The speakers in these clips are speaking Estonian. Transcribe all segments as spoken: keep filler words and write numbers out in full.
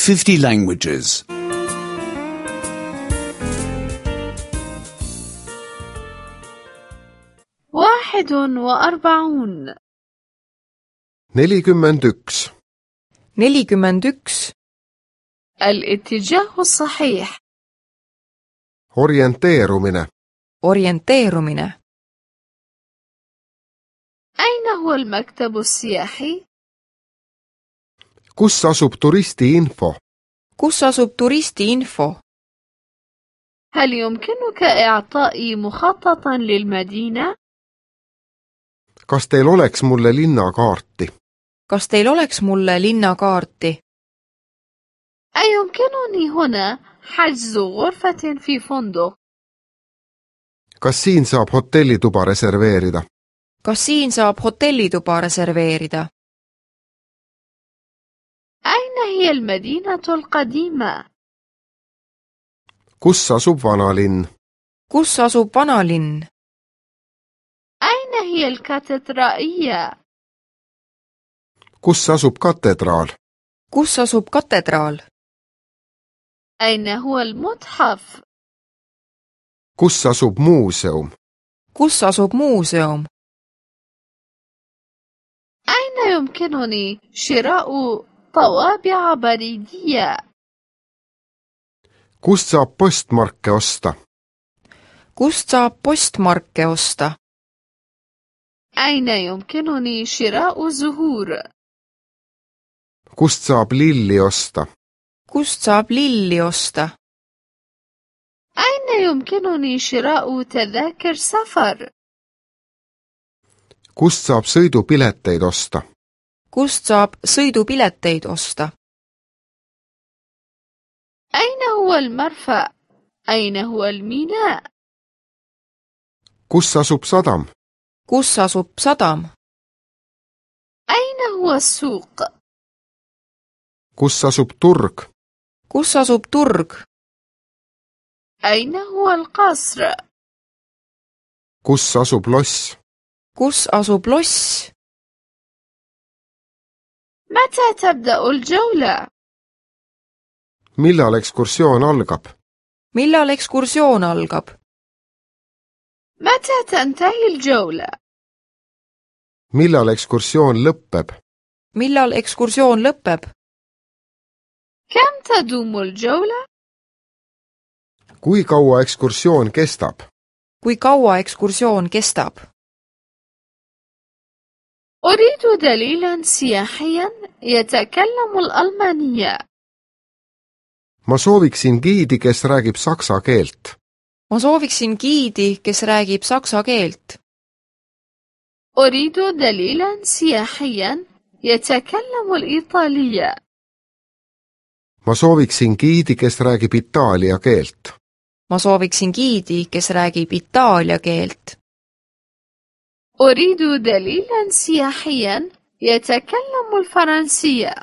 fifty languages. واحد وأربعون. nelikümmend üks. nelikümmend üks. الاتجاه الصحيح. orienteerumine. orienteerumine. أين هو المكتب السياحي؟ kus asub turistiinfo? kus asub turistiinfo? هل يمكنك إعطائي مخططا للمدينة؟ kas teil oleks mulle linnakaarti? kas teil oleks mulle linnakaarti? أيمكنني هنا حجز غرفة في فندق؟ kas siin saab hotellituba reserveerida? kas siin saab hotellituba reserveerida? أين هي المدينة القديمة؟ kus asub vanalinn? kus asub vanalinn? أين هي الكاتدرائية؟ kus asub katedraal? kus asub katedraal? أين هو المتحف؟ kus asub muuseum? kus asub muuseum? أين يمكنني شراء طوابع بريدية؟ kust saab postmarke osta? kust saab postmarke osta? أين يمكنني شراء زهور؟ kust saab lilli osta? kust saab lilli osta? أين يمكنني شراء تذاكر سفر؟ kust saab sõidupileteid osta? kust saab sõidupileteid osta? أين هو المرفأ؟ أين هو الميناء؟ kus asub sadam? kus asub sadam? أين هو السوق؟ kus asub turg? kus asub turg? أين هو القصر؟ kus asub loss? kus asub loss? متى تبدأ الجولة؟ millal ekskursioon algab? millal ekskursioon algab? متى تنتهي الجولة؟ millal ekskursioon lõpeb? millal ekskursioon lõpeb? كم تدوم الجولة؟ kui kaua ekskursioon kestab? kui kaua ekskursioon kestab? أريد دليلا سياحيا يتكلم الألمانية. ma sooviksin giidi, kes räägib saksa keelt. ma sooviksin giidi, kes räägib saksa keelt. أريد دليلا سياحيا يتكلم الإيطالية. ma sooviksin giidi, kes räägib itaalia keelt. ma sooviksin giidi, kes räägib itaalia keelt. أريد دليلا سياحيا يتكلم الفرنسية.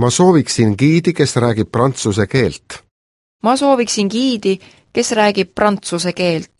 ma sooviksin giidi, kes räägib prantsuse keelt. ma sooviksin giidi, kes räägib prantsuse keelt.